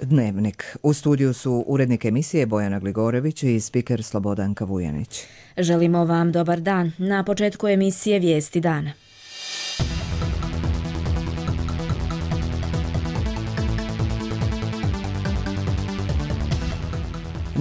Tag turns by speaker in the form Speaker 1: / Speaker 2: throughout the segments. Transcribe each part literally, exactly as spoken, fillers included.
Speaker 1: Dnevnik. U studiju su urednik emisije Bojana Gligorević i spiker Slobodanka Vujanić.
Speaker 2: Želimo vam dobar dan. Na početku emisije Vijesti dana.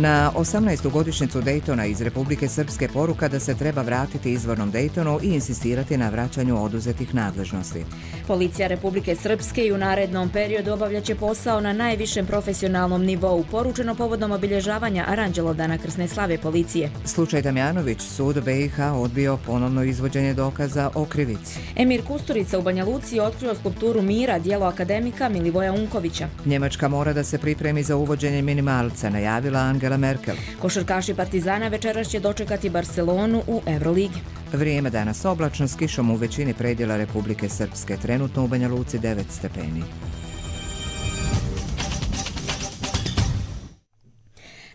Speaker 1: Na osamnaestu godišnjicu Daytona iz Republike Srpske poruka da se treba vratiti izvornom Daytonu i insistirati na vraćanju oduzetih nadležnosti.
Speaker 2: Policija Republike Srpske i u narednom periodu obavljaće posao na najvišem profesionalnom nivou, poručeno povodom obilježavanja Aranđelovdana krsne slave policije.
Speaker 1: Slučaj Damjanović, sud B i H odbio ponovno izvođenje dokaza o krivici.
Speaker 2: Emir Kusturica u Banja Luci otkrio skulpturu Mira, djelo akademika Milivoja Unkovića.
Speaker 1: Njemačka mora da se pripremi za uvođenje minimalca, najavila Angela Merkel.
Speaker 2: Košarkaši Partizana večeras će dočekati Barcelonu u Euroligi.
Speaker 1: Vrijeme danas oblačno s kišom u većini predjela Republike Srpske. Trenutno u Banja Luci devet stepeni.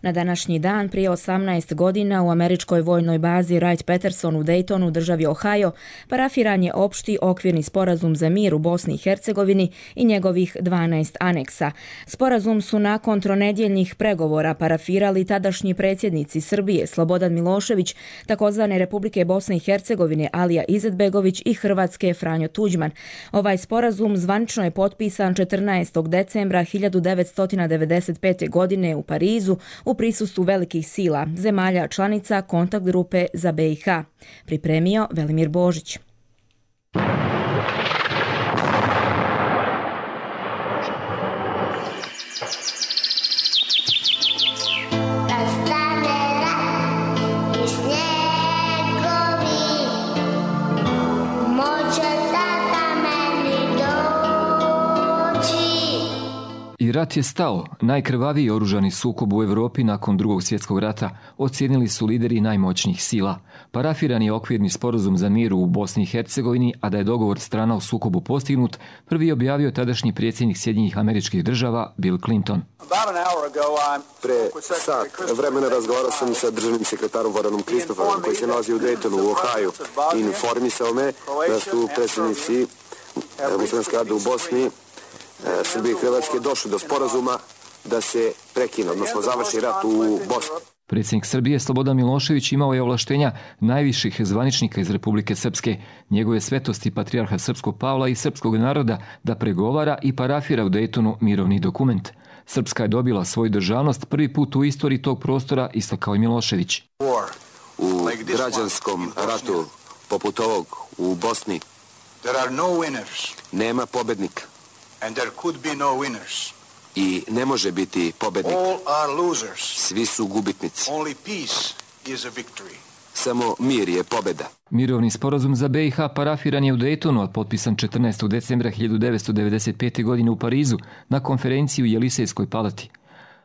Speaker 2: Na današnji dan, prije osamnaest godina, u američkoj vojnoj bazi Wright-Patterson u Daytonu, državi Ohio, parafiran je opšti okvirni sporazum za mir u Bosni i Hercegovini i njegovih dvanaest aneksa. Sporazum su nakon tronedjeljnih pregovora parafirali tadašnji predsjednici Srbije Slobodan Milošević, takozvane Republike Bosne i Hercegovine Alija Izetbegović i Hrvatske Franjo Tuđman. Ovaj sporazum zvanično je potpisan četrnaestog decembra hiljadu devetsto devedeset pete. godine u Parizu u prisustvu velikih sila, zemalja članica kontakt grupe za B i H. Pripremio Velimir Božić.
Speaker 3: I rat je stao. Najkrvaviji oružani sukob u Europi nakon drugog svjetskog rata ocijenili su lideri najmoćnijih sila. Parafiran je okvirni sporazum za mir u Bosni i Hercegovini, a da je dogovor strana u sukobu postignut, prvi je objavio tadašnji predsjednik Sjedinjenih Američkih Država Bill Clinton.
Speaker 4: Pre sat vremena razgovarao sam sa državnim sekretarom Varanom Kristoforom, koji se nalazi u Daytonu u Ohaju, i informisao me da su predsjednici muslimanske rade u Bosni, Srbije i Hrvatske došli do sporazuma da se prekine, odnosno završi rat u Bosni.
Speaker 3: Predsjednik Srbije Slobodan Milošević imao je ovlaštenja najviših zvaničnika iz Republike Srpske, njegove svetosti patrijarha Srpskog Pavla i srpskog naroda da pregovara i parafira u Daytonu mirovni dokument. Srpska je dobila svoju državnost prvi put u istoriji tog prostora, istakao je Milošević.
Speaker 4: U građanskom ratu poput ovog u Bosni nema pobednika.
Speaker 5: And there could be no winners.
Speaker 4: I ne može biti pobednik.
Speaker 5: All are losers.
Speaker 4: Svi su gubitnici.
Speaker 5: Only peace is a victory.
Speaker 4: Samo mir je pobjeda.
Speaker 3: Mirovni sporazum za B i H parafiran je u Daytonu, a potpisan četrnaestog decembra hiljadu devetsto devedeset pete. godine u Parizu na konferenciji u Jelisejskoj palati.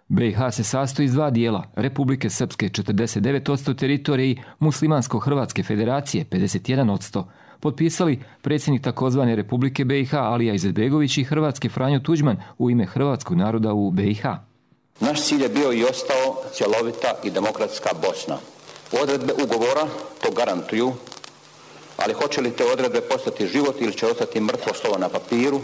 Speaker 3: B i H se sastoji iz dva dijela, Republike Srpske četrdeset devet posto teritorije i Muslimansko-Hrvatske federacije pedeset jedan posto. Potpisali predsjednik takozvane Republike B i H Alija Izetbegović i Hrvatske Franjo Tuđman u ime hrvatskog naroda u B i H.
Speaker 6: Naš cilj je bio i ostao cjelovita i demokratska Bosna. Odredbe ugovora to garantuju, ali hoće li te odredbe postati život ili će ostati mrtvo slovo na papiru,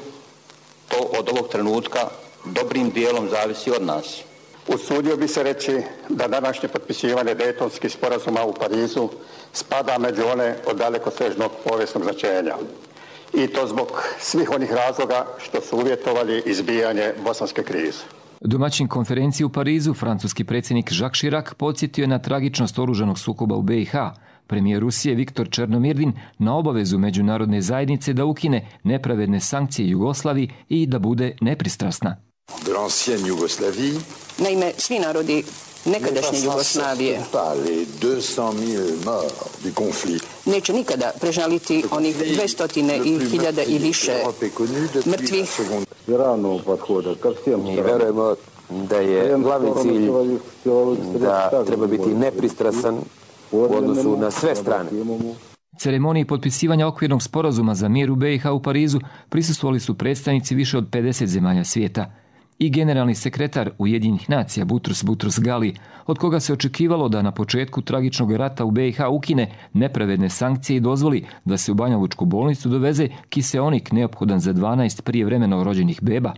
Speaker 6: to od ovog trenutka dobrim dijelom zavisi od nas.
Speaker 7: Usudio bi se reći da današnje potpisivanje Daytonskih sporazuma u Parizu spada među one od dalekosežnog povijesnog značenja. I to zbog svih onih razloga što su uvjetovali izbijanje bosanske krize.
Speaker 3: Domaćin konferenciji u Parizu, francuski predsjednik Jacques Chirac podsjetio je na tragičnost oružanog sukoba u B i H. Premijer Rusije Viktor Černomirdin na obavezu međunarodne zajednice da ukine nepravedne sankcije Jugoslaviji i da bude nepristrasna.
Speaker 8: Naime, svi narodi nekadašnje Jugoslavije neće nikada prežaliti onih dvjesto hiljada i više mrtvih.
Speaker 9: Mi verujemo da je glavni cilj da treba biti nepristrasan u odnosu na sve strane.
Speaker 3: Ceremoniji potpisivanja okvirnog sporazuma za mir u B i H u Parizu prisustvovali su predstavnici više od pedeset zemalja svijeta. I generalni sekretar Ujedinjenih nacija Butrus Butrus Gali, od koga se očekivalo da na početku tragičnog rata u B i H ukine nepravedne sankcije i dozvoli da se u Banjalučku bolnicu doveze kiseonik neophodan za dvanaest prijevremeno rođenih beba.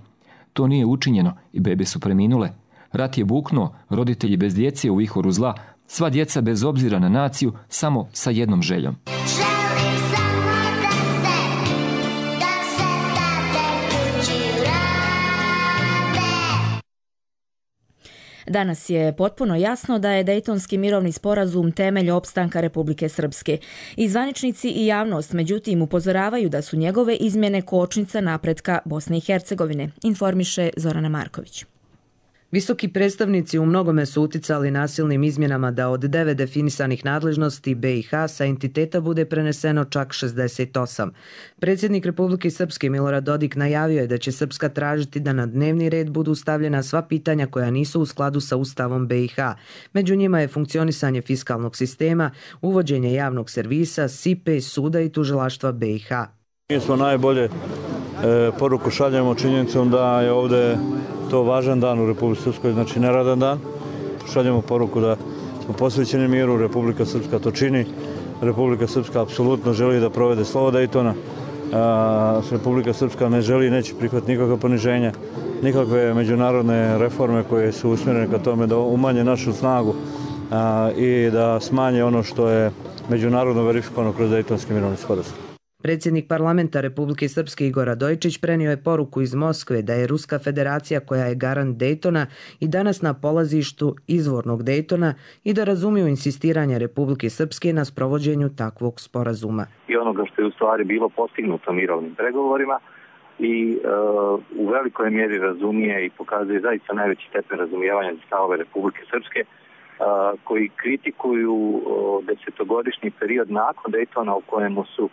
Speaker 3: to nije učinjeno i bebe su preminule. Rat je buknuo, roditelji bez djece u vihoru zla, sva djeca bez obzira na naciju, samo sa jednom željom.
Speaker 2: Danas je potpuno jasno da je Dejtonski mirovni sporazum temelj opstanka Republike Srpske. I zvaničnici i javnost, međutim, upozoravaju da su njegove izmjene kočnica napretka Bosne i Hercegovine, informiše Zorana Marković.
Speaker 10: Visoki predstavnici u mnogome su uticali nasilnim izmjenama da od devet definisanih nadležnosti be i ha sa entiteta bude preneseno čak šezdeset osam. Predsjednik Republike Srpske Milorad Dodik najavio je da će Srpska tražiti da na dnevni red budu stavljena sva pitanja koja nisu u skladu sa Ustavom be i ha. Među njima je funkcionisanje fiskalnog sistema, uvođenje javnog servisa, sipe, suda i tužilaštva be i ha.
Speaker 11: Mi smo najbolje e, poruku šaljemo činjenicom da je ovdje to važan dan u Republici Srpskoj, znači neradan dan. Šaljemo poruku da smo posvećeni miru, Republika Srpska to čini. Republika Srpska apsolutno želi da provede slovo Dejtona. A, Republika Srpska ne želi, neće prihvatiti nikakva poniženja, nikakve međunarodne reforme koje su usmjerene ka tome da umanje našu snagu a, i da smanje ono što je međunarodno verifikovano kroz Dejtonski mirovni sporazum.
Speaker 10: Predsjednik parlamenta Republike Srpske Igor Radojičić prenio je poruku iz Moskve da je Ruska federacija koja je garant Dejtona i danas na polazištu izvornog Dejtona i da razumiju insistiranje Republike Srpske na sprovođenju takvog sporazuma.
Speaker 12: I onoga što je u stvari bilo postignuto mirovnim pregovorima i uh, u velikoj mjeri razumije i pokazuje zaista najveći stepen razumijevanja za stavove Republike Srpske uh, koji kritikuju uh, desetogodišnji period nakon Dejtona u kojemu su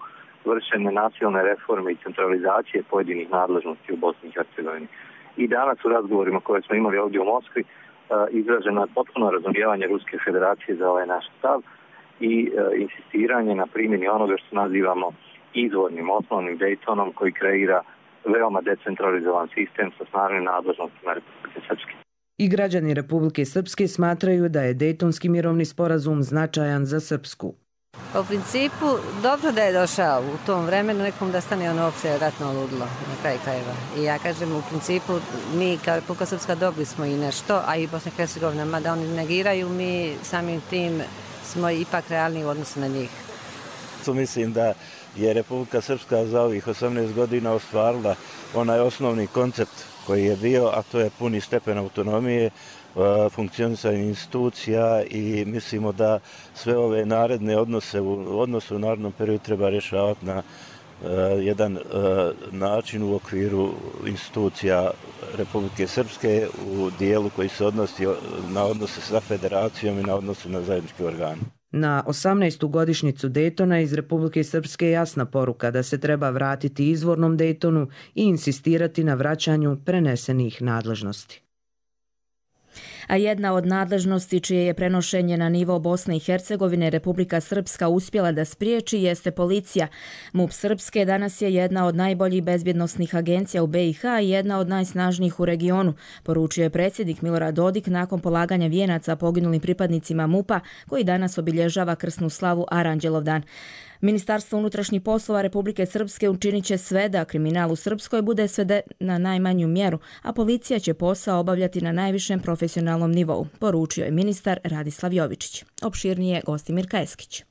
Speaker 12: vršene nasilne reforme i centralizacije pojedinih nadležnosti u Bosni i Hercegovini. I danas u razgovorima koje smo imali ovdje u Moskvi izraženo je potpuno razumijevanje Ruske federacije za ovaj naš stav i insistiranje na primjeni onoga što nazivamo izvornim, osnovnim Dejtonom koji kreira veoma decentralizovan sistem sa snažnim nadležnostima Republike Srpske.
Speaker 10: I građani Republike Srpske smatraju da je Dejtonski mirovni sporazum značajan za Srpsku.
Speaker 13: U principu, dobro da je došao u tom vremenu nekom da stane ono opće ratno ludilo na kraj krajeva. I ja kažem, u principu, mi kao Republika Srpska dobili smo i nešto, a i Bosna i Hercegovina, mada oni negiraju, mi samim tim smo ipak realni u odnosu na njih.
Speaker 11: Mislim da je Republika Srpska za ovih osamnaest godina ostvarila onaj osnovni koncept koji je bio, a to je puni stepen autonomije, funkcionisanje institucija i mislimo da sve ove naredne odnose u odnosu u narednom periodu treba rješavati na uh, jedan uh, način u okviru institucija Republike Srpske u dijelu koji se odnosi na odnose sa federacijom i na odnose na zajednički organ.
Speaker 10: Na osamnaestu godišnjicu Dejtona iz Republike Srpske je jasna poruka da se treba vratiti izvornom Dejtonu i insistirati na vraćanju prenesenih nadležnosti.
Speaker 2: A jedna od nadležnosti čije je prenošenje na nivo Bosne i Hercegovine Republika Srpska uspjela da spriječi jeste policija. MUP Srpske danas je jedna od najboljih bezbjednosnih agencija u be i ha i jedna od najsnažnijih u regionu, poručio je predsjednik Milorad Dodik nakon polaganja vijenaca poginulim pripadnicima MUP-a koji danas obilježava krsnu slavu Aranđelov dan. Ministarstvo unutrašnjih poslova Republike Srpske učinit će sve da kriminal u Srpskoj bude sveden na najmanju mjeru, a policija će posao obavljati na najvišem profesionalnom nivou, poručio je ministar Radislav Jovičić. Opširnije Gostimir Kajeskić.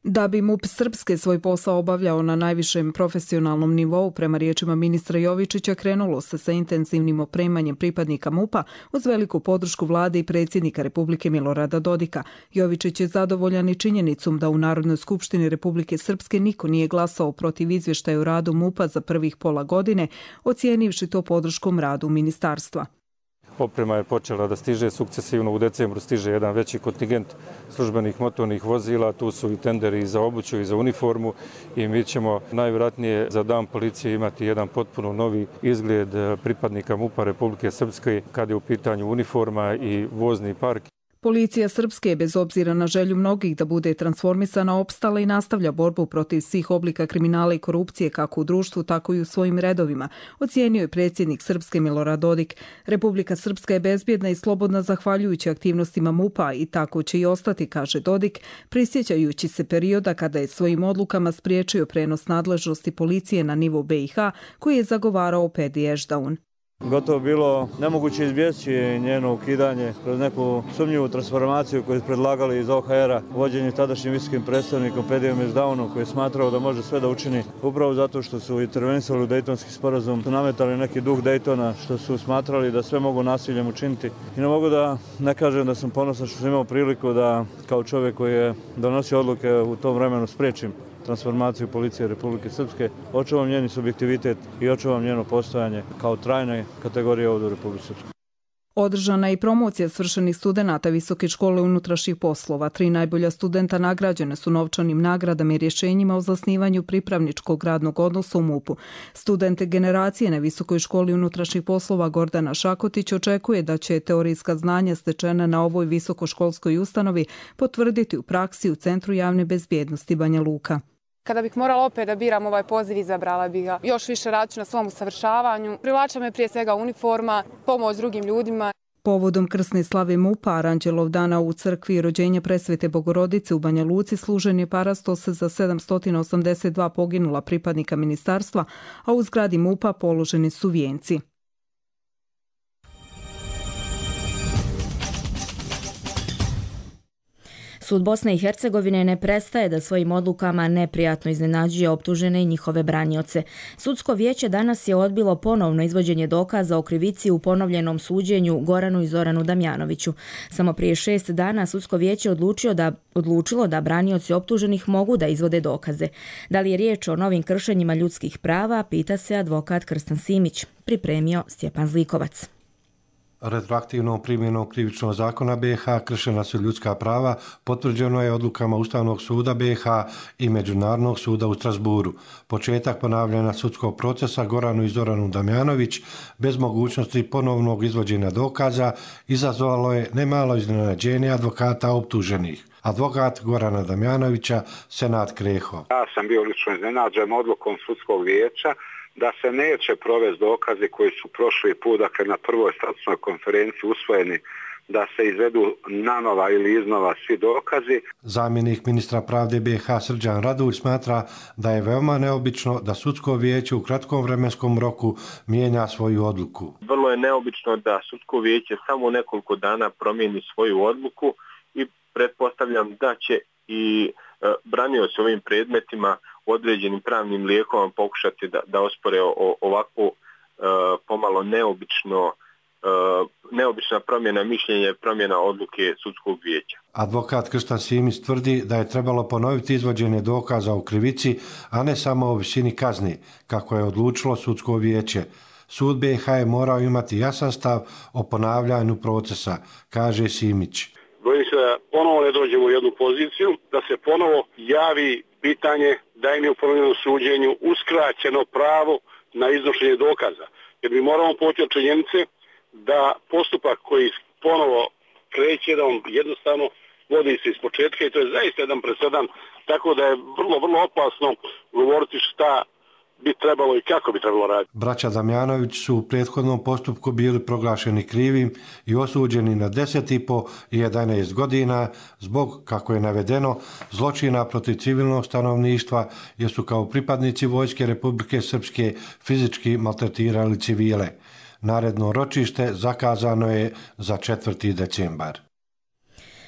Speaker 14: Da bi MUP Srpske svoj posao obavljao na najvišem profesionalnom nivou, prema riječima ministra Jovičića, krenulo se sa intenzivnim opremanjem pripadnika MUP-a uz veliku podršku vlade i predsjednika Republike Milorada Dodika. Jovičić je zadovoljan i činjenicom da u Narodnoj skupštini Republike Srpske niko nije glasao protiv izvještaja o radu MUP-a za prvih pola godine, ocijenivši to podrškom radu ministarstva.
Speaker 15: Oprema je počela da stiže sukcesivno, u decembru stiže jedan veći kontingent službenih motornih vozila, tu su i tenderi i za obuću i za uniformu i mi ćemo najvjerojatnije za dan policije imati jedan potpuno novi izgled pripadnika MUP-a Republike Srpske kad je u pitanju uniforma i vozni park.
Speaker 14: Policija Srpske, bez obzira na želju mnogih da bude transformisana, opstala i nastavlja borbu protiv svih oblika kriminala i korupcije kako u društvu, tako i u svojim redovima, ocijenio je predsjednik Srpske Milorad Dodik. Republika Srpska je bezbjedna i slobodna zahvaljujući aktivnostima MUP-a i tako će i ostati, kaže Dodik, prisjećajući se perioda kada je svojim odlukama spriječio prenos nadležnosti policije na nivo be i ha koji je zagovarao Pedi Ešdaun.
Speaker 11: Gotovo bilo nemoguće izbjeći njeno ukidanje kroz neku sumnjivu transformaciju koju su predlagali iz O H R-a, vođenje tadašnjim visokim predstavnikom Pedijom Mezdaunom, koji je smatrao da može sve da učini upravo zato što su intervenisali u Dejtonski sporazum, su nametali neki duh Dejtona, što su smatrali da sve mogu nasiljem učiniti. I ne mogu da ne kažem da sam ponosan što sam imao priliku da kao čovjek koji je donosio odluke u tom vremenu spriječim transformaciju policije Republike Srpske, očuvam njeni subjektivitet i očuvam njeno postojanje kao trajne kategorije ovdje u Republike Srpskoj.
Speaker 14: Održana je i promocija svršenih studenata Visoke škole unutrašnjih poslova. Tri najbolja studenta nagrađene su novčanim nagradama i rješenjima o zasnivanju pripravničkog radnog odnosa u MUP-u. Studente generacije na Visokoj školi unutrašnjih poslova Gordana Šakotić očekuje da će teorijska znanja stečena na ovoj visokoškolskoj ustanovi potvrditi u praksi u Centru javne bezbjednosti Banja Luka.
Speaker 16: Kada bih morala opet da biram ovaj poziv, izabrala bih ga. Još više radit ću na svom usavršavanju. Privlača me prije svega uniforma, pomoć drugim ljudima.
Speaker 14: Povodom krsne slave MUP-a, Aranđelov dana u crkvi rođenja Presvete Bogorodice u Banja Luci služen je parastos za sedamsto osamdeset dva poginula pripadnika ministarstva, a u zgradi MUP-a položeni su vijenci.
Speaker 2: Sud Bosne i Hercegovine ne prestaje da svojim odlukama neprijatno iznenađuje optužene i njihove branioce. Sudsko vijeće danas je odbilo ponovno izvođenje dokaza o krivici u ponovljenom suđenju Goranu i Zoranu Damjanoviću. Samo prije šest dana Sudsko vijeće odlučio da, odlučilo da branioci optuženih mogu da izvode dokaze. Da li je riječ o novim kršenjima ljudskih prava, pita se advokat Krstan Simić, pripremio Stjepan Zlikovac.
Speaker 17: Retroaktivnom primjenom krivičnog zakona B i H kršena su ljudska prava, potvrđeno je odlukama Ustavnog suda B i H i Međunarodnog suda u Strasburu. Početak ponavljanja sudskog procesa Goranu i Zoranu Damjanović bez mogućnosti ponovnog izvođenja dokaza izazvalo je nemalo iznenađenje advokata optuženih. Advokat Gorana Damjanovića, Senad Kreho.
Speaker 18: Ja sam bio lično iznenađen odlukom sudskog vijeća da se neće provesti dokazi koji su prošli put, dakle na prvoj statusnoj konferenciji usvojeni, da se izvedu nanova ili iznova svi dokazi.
Speaker 17: Zamjenik ministra pravde B i H Srđan Radulj smatra da je veoma neobično da sudsko vijeće u kratkom vremenskom roku mijenja svoju odluku.
Speaker 19: Vrlo je neobično da sudsko vijeće samo nekoliko dana promijeni svoju odluku i pretpostavljam da će i e, branioci ovim predmetima određenim pravnim lijekom pokušati da, da ospore o, ovakvu e, pomalo neobično, e, neobična promjena mišljenja i promjena odluke sudskog vijeća.
Speaker 17: Advokat Krstan Simić tvrdi da je trebalo ponoviti izvođenje dokaza o krivici, a ne samo o visini kazni, kako je odlučilo sudsko vijeće. Sud B i H je morao imati jasan stav o ponavljanju procesa, kaže Simić.
Speaker 20: Bojim se da ponovo ne dođemo u jednu poziciju, da se ponovo javi pitanje da im je u ponovljenom suđenju uskraćeno pravo na iznošenje dokaza. Jer mi moramo poći od činjenice da postupak koji ponovo kreće, da on jednostavno vodi se iz početka i to je zaista jedan presedan, tako da je vrlo, vrlo opasno govoriti šta bi trebalo i kako bi trebalo raditi.
Speaker 17: Braća Damjanović su u prethodnom postupku bili proglašeni krivim i osuđeni na deset i po i jedanaest godina zbog, kako je navedeno, zločina protiv civilnog stanovništva jer su kao pripadnici Vojske Republike Srpske fizički maltretirali civile. Naredno ročište zakazano je za četvrti decembar.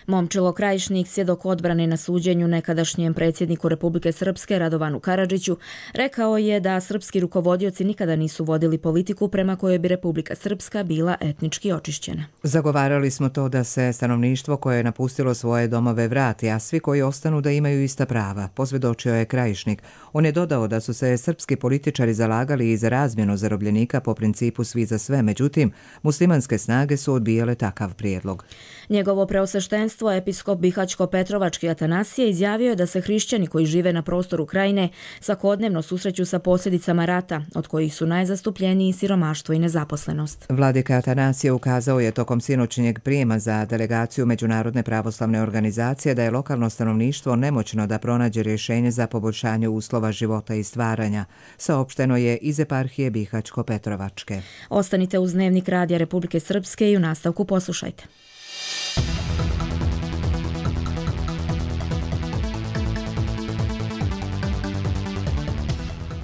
Speaker 2: Momčilo Krajišnik, svjedok odbrane na suđenju nekadašnjem predsjedniku Republike Srpske Radovanu Karadžiću, rekao je da srpski rukovodioci nikada nisu vodili politiku prema kojoj bi Republika Srpska bila etnički očišćena.
Speaker 1: Zagovarali smo to da se stanovništvo koje je napustilo svoje domove vrati, a svi koji ostanu da imaju ista prava, posvjedočio je Krajišnik. On je dodao da su se srpski političari zalagali i za razmjenu zarobljenika po principu svi za sve, međutim, muslimanske snage su odbijale takav prijedlog.
Speaker 2: Njegovo preosveštenstvo, episkop Bihaćko-Petrovački Atanasije, izjavio je da se hrišćani koji žive na prostoru Krajine svakodnevno susreću sa posljedicama rata, od kojih su najzastupljeniji siromaštvo i nezaposlenost.
Speaker 1: Vladika Atanasije ukazao je tokom sinoćnjeg prijema za delegaciju Međunarodne pravoslavne organizacije da je lokalno stanovništvo nemoćno da pronađe rješenje za poboljšanje uslova života i stvaranja, saopšteno je iz eparhije Bihaćko-Petrovačke.
Speaker 2: Ostanite uz Dnevnik Radija Republike Srpske i u nastavku poslušajte.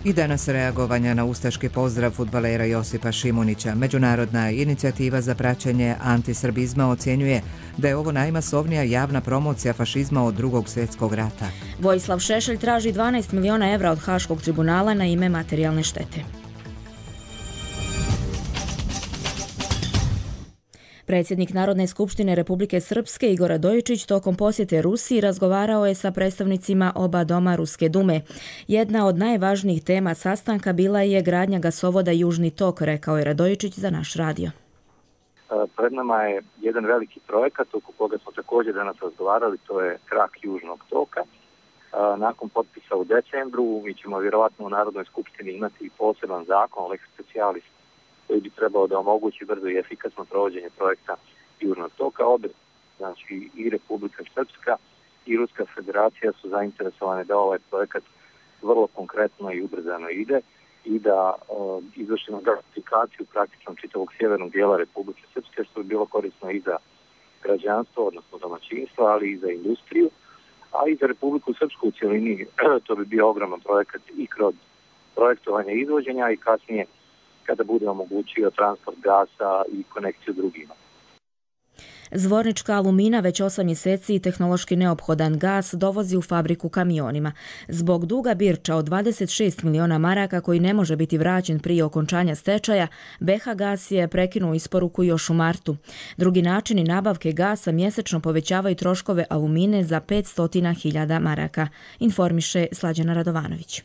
Speaker 1: I danas reagovanja na ustaški pozdrav fudbalera Josipa Šimunića. Međunarodna inicijativa za praćenje antisrbizma ocjenjuje da je ovo najmasovnija javna promocija fašizma od drugog svjetskog rata.
Speaker 2: Vojislav Šešelj traži dvanaest miliona evra od Haškog tribunala na ime materijalne štete. Predsjednik Narodne skupštine Republike Srpske Igor Radojičić tokom posjete Rusiji razgovarao je sa predstavnicima oba doma Ruske dume. Jedna od najvažnijih tema sastanka bila je gradnja gasovoda Južni tok, rekao je Radojičić za naš radio.
Speaker 12: Pred nama je jedan veliki projekat oko koga smo također danas razgovarali, to je krak Južnog toka. Nakon potpisa u decembru mi ćemo vjerovatno u Narodnoj skupštini imati poseban zakon, lex specialis, koji bi trebao da omogući brzo i efikasno provođenje projekta Južnog toka. Obe, znači i Republika Srpska i Ruska federacija su zainteresovane da ovaj projekat vrlo konkretno i ubrzano ide i da uh, izvršimo gasifikaciju praktično čitavog sjevernog dijela Republike Srpske, što bi bilo korisno i za građanstvo, odnosno domaćinstvo, ali i za industriju, a i za Republiku Srpsku u cjelini. To bi bio ogroman projekat i kroz projektovanje izvođenja i kasnije kada bude omogućio transport gasa i konekciju drugima.
Speaker 2: Zvornička Alumina već osam mjeseci tehnološki neophodan gas dovozi u fabriku kamionima. Zbog duga Birča od dvadeset šest miliona maraka koji ne može biti vraćen prije okončanja stečaja, B H Gas je prekinuo isporuku još u martu. Drugi načini nabavke gasa mjesečno povećavaju troškove Alumine za petsto hiljada maraka, informiše Slađana Radovanović.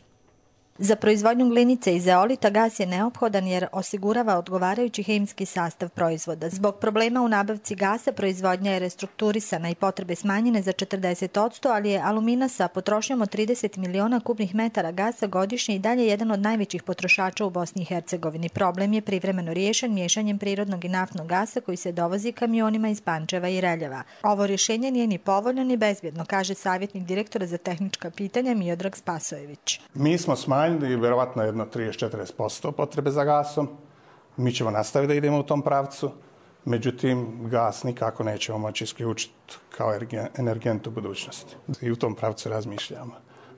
Speaker 21: Za proizvodnju glinice i zeolita gas je neophodan jer osigurava odgovarajući hemijski sastav proizvoda. Zbog problema u nabavci gasa proizvodnja je restrukturisana i potrebe smanjene za četrdeset posto, ali je Alumina sa potrošnjom od trideset miliona kubnih metara gasa godišnje i dalje jedan od najvećih potrošača u Bosni i Hercegovini. Problem je privremeno riješen miješanjem prirodnog i naftnog gasa koji se dovozi kamionima iz Pančeva i Reljeva. Ovo rješenje nije ni povoljno ni bezbjedno, kaže savjetnik direktora za tehnička pitanja Miodrag Spasojević.
Speaker 22: Mi smo smanjili i vjerovatno jedno trideset do četrdeset posto potrebe za gasom. Mi ćemo nastaviti da idemo u tom pravcu, međutim gas nikako nećemo moći isključiti kao energent u budućnosti. I u tom pravcu razmišljamo.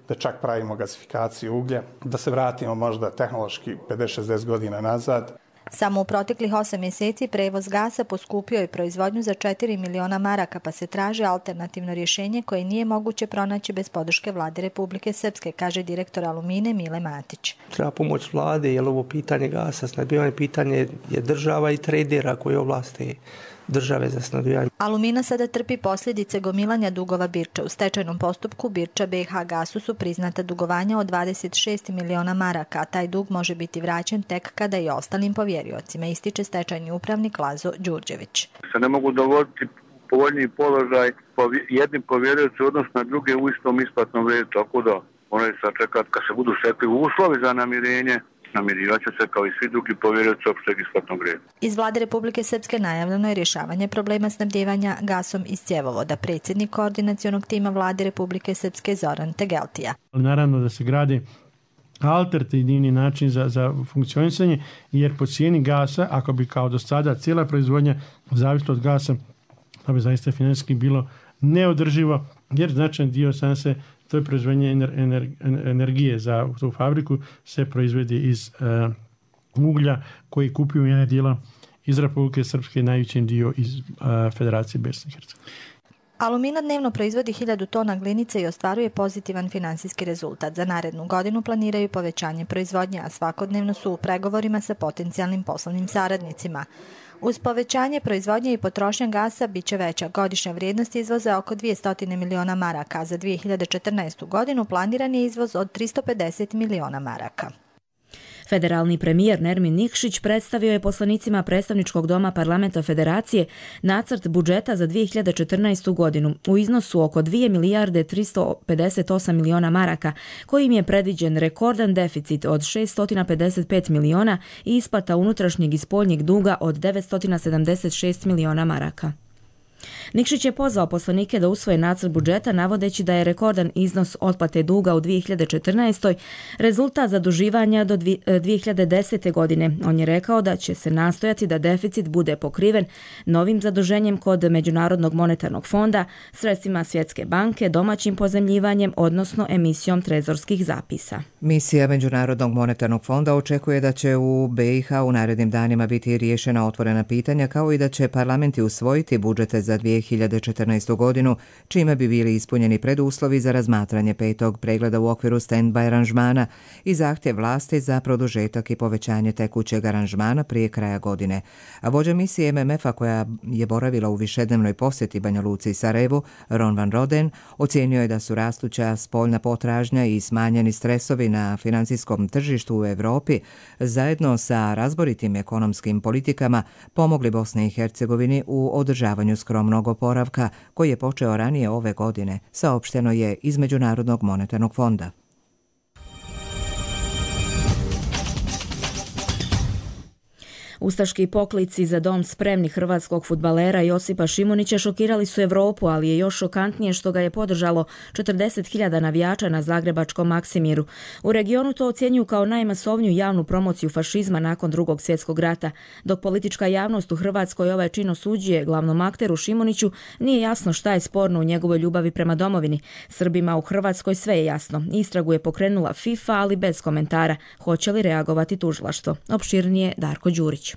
Speaker 22: Da čak pravimo gasifikaciju uglja, da se vratimo možda tehnološki pedeset do šezdeset godina nazad.
Speaker 21: Samo u proteklih osam mjeseci prevoz gasa poskupio je proizvodnju za četiri miliona maraka, pa se traži alternativno rješenje koje nije moguće pronaći bez podrške vlade Republike Srpske, kaže direktor Alumine Mile Matić.
Speaker 23: Treba pomoć vlade, jer ovo pitanje gasa, snabdijevanje pitanje je država i tradera koji ovlaste države za snabdijevanje.
Speaker 21: Alumina sada trpi posljedice gomilanja dugova Birča. U stečajnom postupku Birča B H Gasu su priznata dugovanja od dvadeset šest miliona maraka, a taj dug može biti vraćen tek kada i ostalim povjeriocima, ističe stečajni upravnik Lazo Đurđević.
Speaker 24: Se ne mogu dovoditi povoljniji položaj jednim povjerioci odnosno na druge u istom isplatnom redu, tako da moraju sačekati kad se budu stekli uslovi za namirenje. Namirivat će se kao i svi drugi povjerioci opšteg isplatnog reda.
Speaker 21: Iz vlade Republike Srpske najavljeno je rješavanje problema snabdijevanja gasom iz cjevovoda. Predsjednik koordinacionog tima vlade Republike Srpske Zoran Tegeltija.
Speaker 25: Naravno da se gradi alternativni način za, za funkcionisanje, jer po cijeni gasa, ako bi kao do sada cijela proizvodnja zavisila od gasa, to bi zaista financijski bilo neodrživo, jer značajan dio sam se to je proizvodnje ener, ener, energije za tu fabriku se proizvodi iz uh, uglja koji kupuju jedne dijela iz Republike Srpske, najvećim dio iz uh, Federacije Bosne i Hercegovine.
Speaker 21: Alumina dnevno proizvodi hiljadu tona glinice i ostvaruje pozitivan finansijski rezultat. Za narednu godinu planiraju povećanje proizvodnje, a svakodnevno su u pregovorima sa potencijalnim poslovnim saradnicima. Uz povećanje proizvodnje i potrošnja gasa bit će veća. Godišnja vrijednost izvoza oko dvjesto miliona maraka, a za dvije hiljade četrnaestu. godinu planiran je izvoz od tristo pedeset miliona maraka.
Speaker 2: Federalni premijer Nermin Nikšić predstavio je poslanicima predstavničkog doma Parlamenta Federacije nacrt budžeta za dvije hiljade četrnaestu. godinu u iznosu oko dvije milijarde tristo pedeset osam miliona maraka, kojim je predviđen rekordan deficit od šesto pedeset pet miliona i isplata unutrašnjeg i spoljnjeg duga od devetsto sedamdeset šest miliona maraka. Nikšić je pozvao poslanike da usvoje nacrt budžeta navodeći da je rekordan iznos otplate duga u dvije hiljade četrnaestoj rezultat zaduživanja do dvije hiljade desete. godine. On je rekao da će se nastojati da deficit bude pokriven novim zaduženjem kod Međunarodnog monetarnog fonda, sredstvima Svjetske banke, domaćim pozemljivanjem, odnosno emisijom trezorskih zapisa.
Speaker 1: Misija Međunarodnog monetarnog fonda očekuje da će u B i H u narednim danima biti riješena otvorena pitanja, kao i da će parlamenti usvojiti budžete za dvije hiljade četrnaestu. godinu, čime bi bili ispunjeni preduslovi za razmatranje petog pregleda u okviru stand-by aranžmana i zahtjev vlasti za produžetak i povećanje tekućeg aranžmana prije kraja godine. A vođa misije M M F-a koja je boravila u višednevnoj posjeti Banja Luci i Sarajevu, Ron van Roden, ocijenio je da su rastuća spoljna potražnja i smanjeni stresovi na financijskom tržištu u Europi zajedno sa razboritim ekonomskim politikama pomogli Bosni i Hercegovini u održavanju skromnog oporavka koji je počeo ranije ove godine, saopšteno je iz Međunarodnog monetarnog fonda.
Speaker 2: Ustaški poklici za dom spremni hrvatskog fudbalera Josipa Šimunića šokirali su Europu, ali je još šokantnije što ga je podržalo četrdeset hiljada navijača na zagrebačkom Maksimiru. U regionu to ocjenjuju kao najmasovniju javnu promociju fašizma nakon Drugog svjetskog rata. Dok politička javnost u Hrvatskoj ovaj čin osuđuje glavnom akteru Šimuniću, nije jasno šta je sporno u njegovoj ljubavi prema domovini. Srbima u Hrvatskoj sve je jasno. Istragu je pokrenula FIFA, ali bez komentara. Hoće li reagovati tužilaštvo? Opširnije Darko Đurić.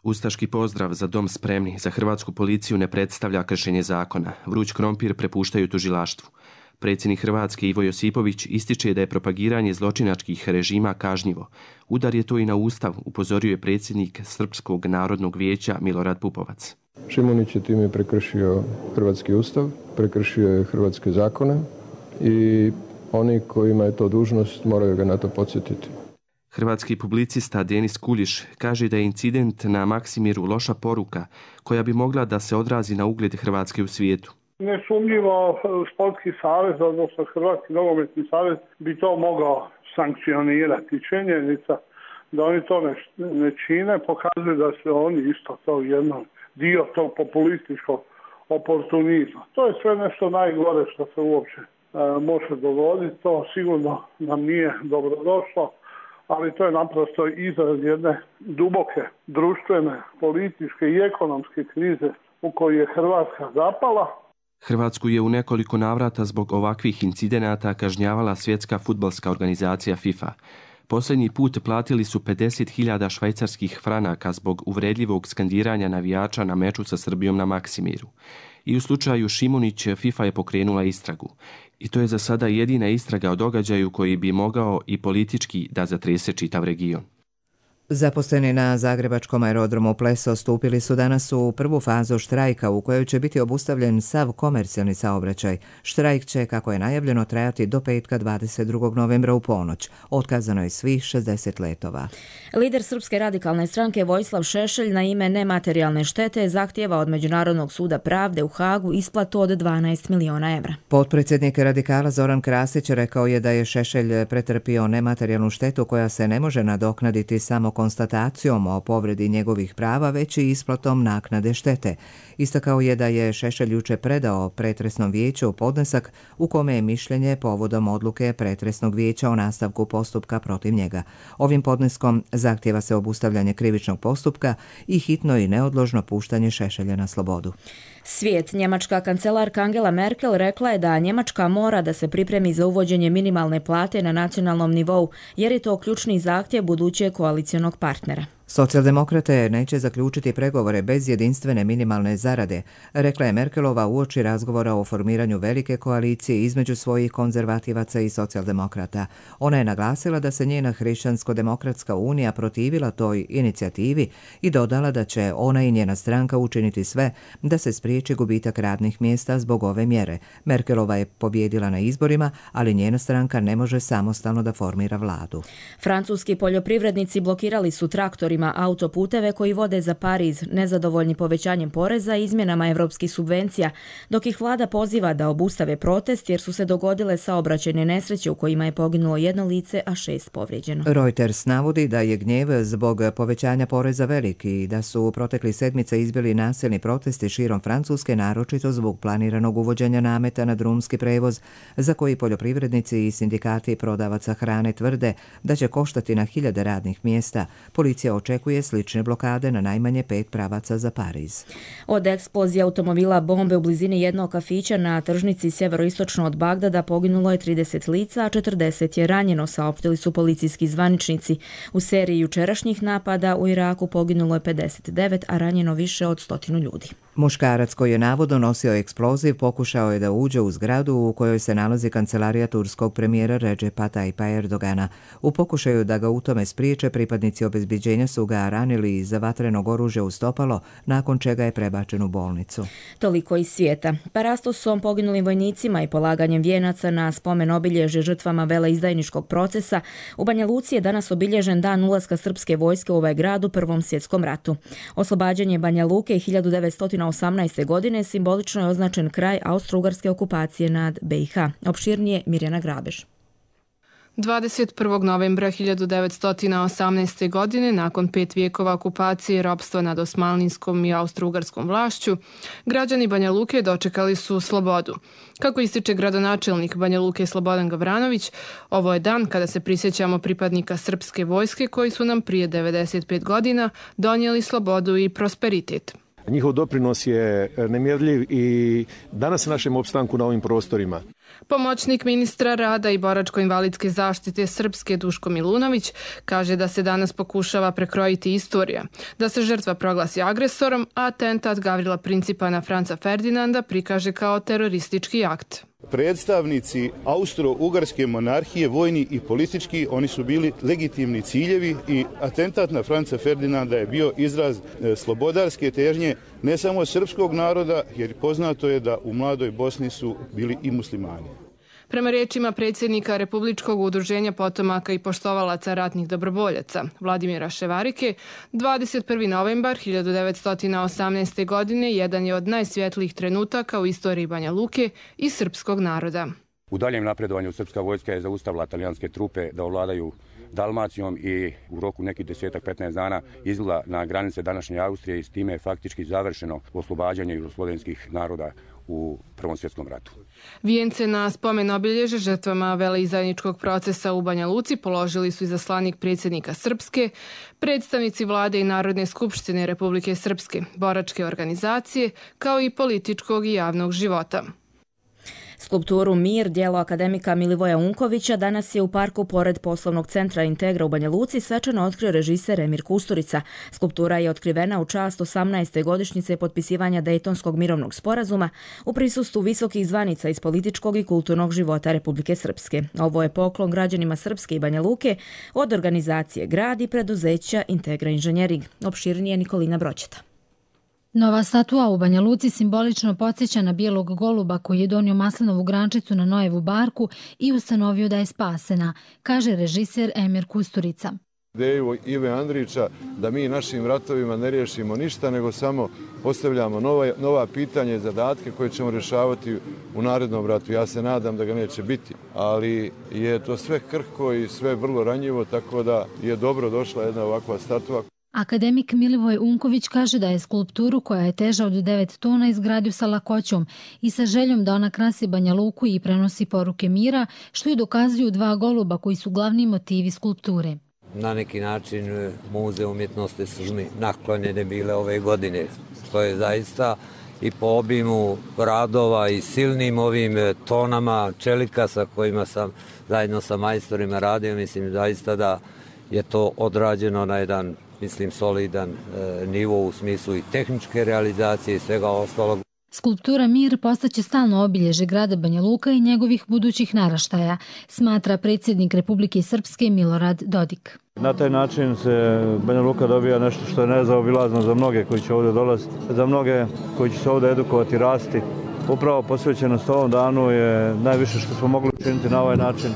Speaker 4: Ustaški pozdrav za dom spremni za hrvatsku policiju ne predstavlja kršenje zakona. Vruć krompir prepuštaju tužilaštvu. Predsjednik Hrvatske Ivo Josipović ističe da je propagiranje zločinačkih režima kažnjivo. Udar je to i na Ustav, upozorio je predsjednik Srpskog narodnog vijeća Milorad Pupovac.
Speaker 5: Šimunić je time prekršio hrvatski Ustav, prekršio je hrvatske zakone i oni kojima je to dužnost moraju ga na to podsjetiti.
Speaker 4: Hrvatski publicista Denis Kuljiš kaže da je incident na Maksimiru loša poruka koja bi mogla da se odrazi na ugled Hrvatske u svijetu.
Speaker 6: Nesumnjivo sportski savez, odnosno Hrvatski nogometni savez bi to mogao sankcionirati. Činjenica da oni to ne, ne čine pokazuje da se oni isto to jedan dio tog populističkog oportunizma. To je sve nešto najgore što se uopće može dogoditi, to sigurno nam nije dobrodošlo, ali to je naprosto izraz jedne duboke društvene, političke i ekonomske krize u kojoj je Hrvatska zapala.
Speaker 4: Hrvatsku je u nekoliko navrata zbog ovakvih incidenata kažnjavala Svjetska fudbalska organizacija FIFA. Posljednji put platili su pedeset hiljada švajcarskih franaka zbog uvredljivog skandiranja navijača na meču sa Srbijom na Maksimiru. I u slučaju Šimunić FIFA je pokrenula istragu. I to je za sada jedina istraga o događaju koji bi mogao i politički da zatrese čitav region.
Speaker 1: Zaposleni na zagrebačkom aerodromu Pleso stupili su danas u prvu fazu štrajka u kojoj će biti obustavljen sav komercijalni saobraćaj. Štrajk će, kako je najavljeno, trajati do petka dvadeset drugog novembra u ponoć. Otkazano je svih šezdeset letova.
Speaker 2: Lider Srpske radikalne stranke Vojislav Šešelj na ime nematerijalne štete zahtijeva od Međunarodnog suda pravde u Hagu isplatu od dvanaest miliona evra.
Speaker 1: Potpredsjednik radikala Zoran Krasić rekao je da je Šešelj pretrpio nematerijalnu štetu koja se ne može nadoknaditi samo konstatacijom o povredi njegovih prava, već i isplatom naknade štete. Istakao je da je Šešelj juče predao pretresnom vijeću podnesak u kome je mišljenje povodom odluke pretresnog vijeća o nastavku postupka protiv njega. Ovim podneskom zahtijeva se obustavljanje krivičnog postupka i hitno i neodložno puštanje Šešelja na slobodu.
Speaker 2: Svijet. Njemačka kancelarka Angela Merkel rekla je da Njemačka mora da se pripremi za uvođenje minimalne plate na nacionalnom nivou, jer je to ključni zahtjev budućeg koalicionog partnera.
Speaker 1: Socijaldemokrate neće zaključiti pregovore bez jedinstvene minimalne zarade, rekla je Merkelova uoči razgovora o formiranju velike koalicije između svojih konzervativaca i socijaldemokrata. Ona je naglasila da se njena Hrišćansko-demokratska unija protivila toj inicijativi i dodala da će ona i njena stranka učiniti sve da se spriječi gubitak radnih mjesta zbog ove mjere. Merkelova je pobjedila na izborima, ali njena stranka ne može samostalno da formira vladu.
Speaker 2: Francuski poljoprivrednici blokirali su traktorima operatorima autoputeve koji vode za Pariz, nezadovoljni povećanjem poreza i izmjenama evropskih subvencija, dok ih vlada poziva da obustave protest jer su se dogodile saobraćajne nesreće u kojima je poginulo jedno lice, a šest povrijeđeno.
Speaker 1: Reuters navodi da je gnjev zbog povećanja poreza veliki i da su u protekli sedmice izbili nasilni protesti širom Francuske, naročito zbog planiranog uvođenja nameta na drumski prevoz, za koji poljoprivrednici i sindikati prodavaca hrane tvrde da će koštati na hiljade radnih mjesta. Policija očekuje slične blokade na najmanje pet pravaca za Pariz.
Speaker 2: Od eksplozije automobila bombe u blizini jednog kafića na tržnici sjeveroistočno od Bagdada poginulo je trideset lica, a četrdeset je ranjeno, saopštili su policijski zvaničnici. U seriji jučerašnjih napada u Iraku poginulo je pedeset devet, a ranjeno više od stotinu ljudi.
Speaker 1: Muškarac koji je navodno nosio eksploziv pokušao je da uđe u zgradu u kojoj se nalazi kancelarija turskog premijera Recepa Tayyipa Erdogana. U pokušaju da ga u tome spriječe, pripadnici obezbeđenja su ga ranili iz vatrenog oružja u stopalo, nakon čega je prebačen u bolnicu.
Speaker 2: Toliko iz svijeta. Parastosom, poginulim vojnicima i polaganjem vijenaca na spomen obilježje žrtvama veleizdajničkog procesa, u Banja Luci je danas obilježen dan ulaska srpske vojske u ovaj grad u Prvom svjetskom ratu. Oslobađanje Banja Luke hiljadu devetsto osamnaeste. godine simbolično je označen kraj austro-ugarske okupacije nad B i H. Opširnije Mirjana Grabež.
Speaker 3: dvadeset prvog novembra hiljadu devetsto osamnaeste. godine, nakon pet vijekova okupacije i ropstva nad osmanlijskom i austro-ugarskom vlašću, građani Banja Luke dočekali su slobodu. Kako ističe gradonačelnik Banja Luke Slobodan Gavranović, ovo je dan kada se prisjećamo pripadnika srpske vojske koji su nam prije devedeset pet godina donijeli slobodu i prosperitet.
Speaker 7: Njihov doprinos je nemjerljiv i danas našem opstanku na ovim prostorima.
Speaker 3: Pomoćnik ministra rada i boračko-invalidske zaštite Srpske Duško Milunović kaže da se danas pokušava prekrojiti istorija, da se žrtva proglasi agresorom, a atentat Gavrila Principa na Franca Ferdinanda prikaže kao teroristički akt.
Speaker 8: Predstavnici austro-ugarske monarhije, vojni i politički, oni su bili legitimni ciljevi i atentat na Franca Ferdinanda je bio izraz slobodarske težnje ne samo srpskog naroda, jer poznato je da u mladoj Bosni su bili i muslimani.
Speaker 3: Prema riječima predsjednika Republičkog udruženja potomaka i poštovalaca ratnih dobrovoljaca Vladimira Ševarike, dvadeset prvi novembar hiljadu devetsto osamnaeste. godine jedan je od najsvjetlijih trenutaka u istoriji Banja Luke i srpskog naroda.
Speaker 9: U daljem napredovanju srpska vojska je zaustavila talijanske trupe da ovladaju Dalmacijom i u roku nekih desetak petnaest dana izvela na granice današnje Austrije i s time je faktički završeno oslobađanje jugoslovenskih naroda u Prvom svjetskom ratu.
Speaker 3: Vijence na spomen obilježe žrtvama veleizdajničkog procesa u Banja Luci položili su izaslanik predsjednika Srpske, predstavnici vlade i Narodne skupštine Republike Srpske, boračke organizacije, kao i političkog i javnog života.
Speaker 2: Skulpturu Mir, djelo akademika Milivoja Unkovića, danas je u parku pored poslovnog centra Integra u Banja Luci svečano otkrio režiser Emir Kusturica. Skulptura je otkrivena u čast osamnaeste godišnjice potpisivanja Dejtonskog mirovnog sporazuma u prisustvu visokih zvanica iz političkog i kulturnog života Republike Srpske. Ovo je poklon građanima Srpske i Banja Luke od organizacije Grad i preduzeća Integra Inženjering. Opširnije Nikolina Broćeta.
Speaker 13: Nova statua u Banja Luci simbolično podsjeća na bijelog goluba koji je donio maslinovu grančicu na Nojevu barku i ustanovio da je spasena, kaže režiser Emir Kusturica.
Speaker 26: Ideju Ive Andrića da mi našim ratovima ne riješimo ništa, nego samo postavljamo nova, nova pitanja i zadatke koje ćemo rješavati u narednom ratu. Ja se nadam da ga neće biti, ali je to sve krhko i sve vrlo ranjivo, tako da je dobro došla jedna ovakva statua.
Speaker 13: Akademik Milivoj Unković kaže da je skulpturu koja je teža od devet tona izgradio sa lakoćom i sa željom da ona krasi Banja Luku i prenosi poruke mira, što i dokazuju dva goluba koji su glavni motivi skulpture.
Speaker 27: Na neki način Muze umjetnosti su mi naklonjene bile ove godine, što je zaista i po obimu radova i silnim ovim tonama čelika sa kojima sam zajedno sa majstorima radio, mislim zaista da je to odrađeno na jedan, mislim, solidan e, nivo u smislu i tehničke realizacije i svega ostalog.
Speaker 13: Skulptura Mir postaće stalno obilježe grada Banja Luka i njegovih budućih naraštaja, smatra predsjednik Republike Srpske Milorad Dodik.
Speaker 11: Na taj način se Banja Luka dobija nešto što je nezaobilazno za mnoge koji će ovdje dolaziti, za mnoge koji će se ovdje edukovati i rasti. Upravo posvećenost ovom danu je najviše što smo mogli učiniti na ovaj način.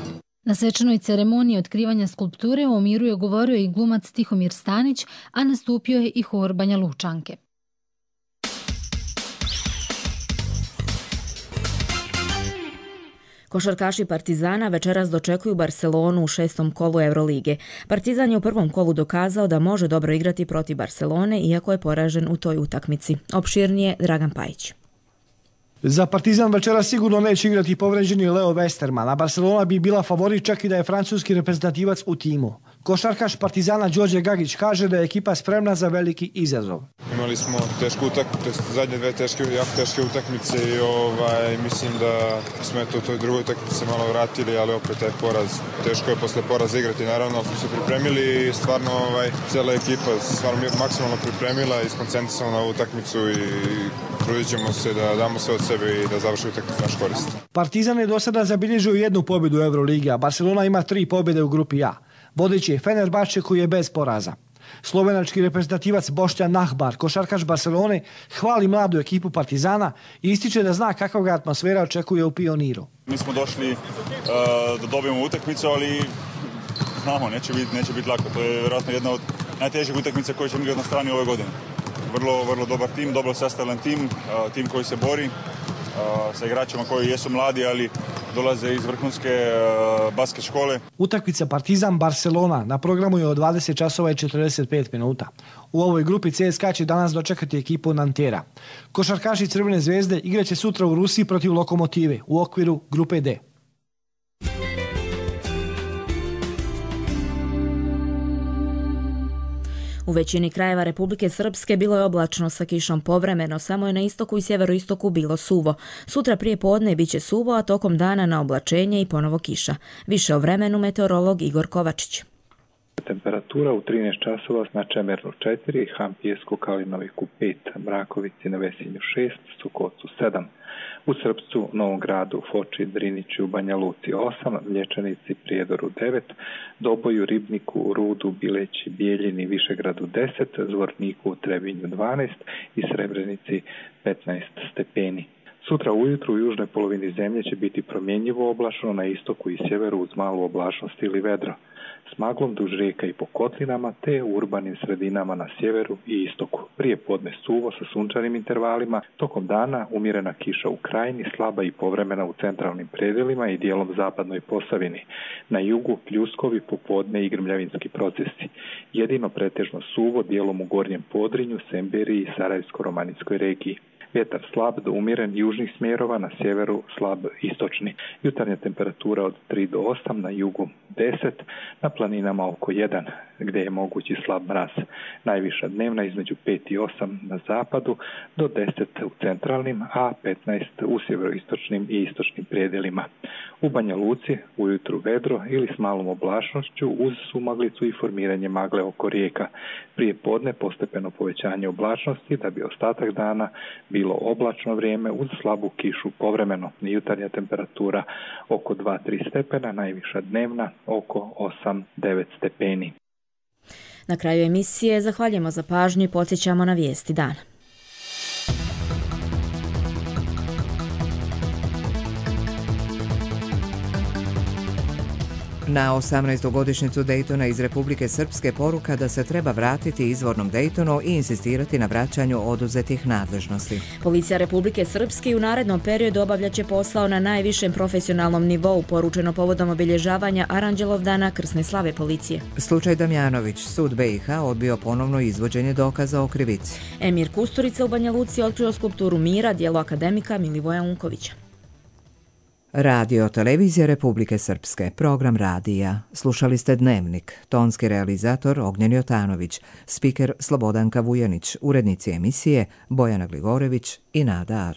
Speaker 13: Na svečanoj ceremoniji otkrivanja skulpture o miru je govorio i glumac Tihomir Stanić, a nastupio je i hor Banja Lučanke.
Speaker 2: Košarkaši Partizana večeras dočekuju Barcelonu u šestom kolu Eurolige. Partizan je u prvom kolu dokazao da može dobro igrati protiv Barcelone, iako je poražen u toj utakmici. Opširnije Dragan Pajić.
Speaker 10: Za Partizan večera sigurno neće igrati povređeni Leo Westerman, a Barcelona bi bila favorit čak i da je francuski reprezentativac u timu. Košarkaš Partizana Đorđe Gagić kaže da je ekipa spremna za veliki izazov.
Speaker 14: Imali smo tešku utakmicu, zadnje dve teške, jako teške utakmice i ovaj, mislim da smo eto u toj drugoj utakmici se malo vratili, ali opet taj poraz, teško je posle poraza igrati, naravno smo se pripremili i stvarno ovaj, cijela ekipa stvarno maksimalno pripremila i skoncentrisana na ovu utakmicu i trudit ćemo se da damo sve od sebe i da završi utakmicu naš korist.
Speaker 10: Partizan je do sada zabilježio jednu pobjedu u Euroligi, a Barcelona ima tri pobjede u grupi A. Vodeći je Fenerbahče koji je bez poraza. Slovenački reprezentativac Boštjan Nahbar, košarkaš Barcelone, hvali mladu ekipu Partizana i ističe da zna kakva ga atmosfera očekuje u Pioniru.
Speaker 15: Mi smo došli uh, da dobijemo utakmicu, ali znamo, neće biti neće biti lako. To je vjerojatno jedna od najtežih utakmica koje ćemo igrati na strani ove godine. Vrlo, vrlo dobar tim, dobro sastavljen tim, uh, tim koji se bori uh, sa igračima koji jesu mladi, ali dolaze iz vrhunske uh, basket škole.
Speaker 10: Utakmica Partizan-Barcelona na programu je od dvadeset časova i četrdeset pet minuta. U ovoj grupi C S K A će danas dočekati ekipu Nantera. Košarkaši Crvene zvezde igraće sutra u Rusiji protiv Lokomotive u okviru grupe D.
Speaker 2: U većini krajeva Republike Srpske bilo je oblačno sa kišom povremeno, samo je na istoku i sjeveroistoku bilo suvo. Sutra prije podne bit će suvo, a tokom dana na oblačenje i ponovo kiša. Više o vremenu meteorolog Igor Kovačić.
Speaker 16: Temperatura u trinaest časova na Čemernu četiri, Han Pijesku Kalinoviku pet, Mrakovici na Vesinju šest, Sukocu sedam. U Srpcu, Novom Gradu, Foči, Driniću, Banja Luci osam, Mlječanici, Prijedoru devet, Doboju, Ribniku, Rudu, Bileći, Bijeljini, Višegradu deset, Zvorniku, Trebinju dvanaest i Srebrenici petnaest stepeni. Sutra ujutru u južnoj polovini zemlje će biti promjenjivo oblačno, na istoku i sjeveru uz malu oblačnost ili vedro. S maglom duž rijeka i po kotlinama, te u urbanim sredinama na sjeveru i istoku. Prije podne suvo sa sunčanim intervalima, tokom dana umjerena kiša u krajini, slaba i povremena u centralnim predelima i dijelom zapadnoj Posavini. Na jugu pljuskovi, popodne i grmljavinski procesi. Jedino pretežno suvo dijelom u Gornjem Podrinju, Semberiji i Sarajevsko-romanijskoj regiji. Vjetar slab do umjeren južnih smjerova, na sjeveru slab istočni. Jutarnja temperatura od tri do osam, na jugu deset, na planinama oko jedan, gdje je mogući slab mraz. Najviša dnevna između pet i osam na zapadu, do deset u centralnim, a petnaest u sjeveroistočnim i istočnim predjelima. U Banja Luci ujutru vedro ili s malom oblačnošću uz sumaglicu i formiranje magle oko rijeka. Prije podne postepeno povećanje oblačnosti da bi ostatak dana bilo oblačno vrijeme uz slabu kišu povremeno. Jutarnja temperatura oko dva do tri stepena, najviša dnevna oko osam do devet stepeni.
Speaker 2: Na kraju emisije zahvaljujemo za pažnju i podsjećamo na vijesti dana.
Speaker 1: Na osamnaestu godišnjicu Daytona iz Republike Srpske poruka da se treba vratiti izvornom Daytonu i insistirati na vraćanju oduzetih nadležnosti.
Speaker 2: Policija Republike Srpske u narednom periodu obavljaće posao na najvišem profesionalnom nivou, poručeno povodom obilježavanja Aranđelovdana krsne slave policije.
Speaker 1: Slučaj Damjanović, sud B i H odbio ponovno izvođenje dokaza o krivici.
Speaker 2: Emir Kusturica u Banja Luci otkrio skulpturu Mira, djelo akademika Milivoja Unkovića.
Speaker 1: Radio Televizija Republike Srpske, program radija. Slušali ste Dnevnik, tonski realizator Ognjen Jotanović, spiker Slobodanka Vujanić, urednici emisije Bojana Gligorević i Nada Ar.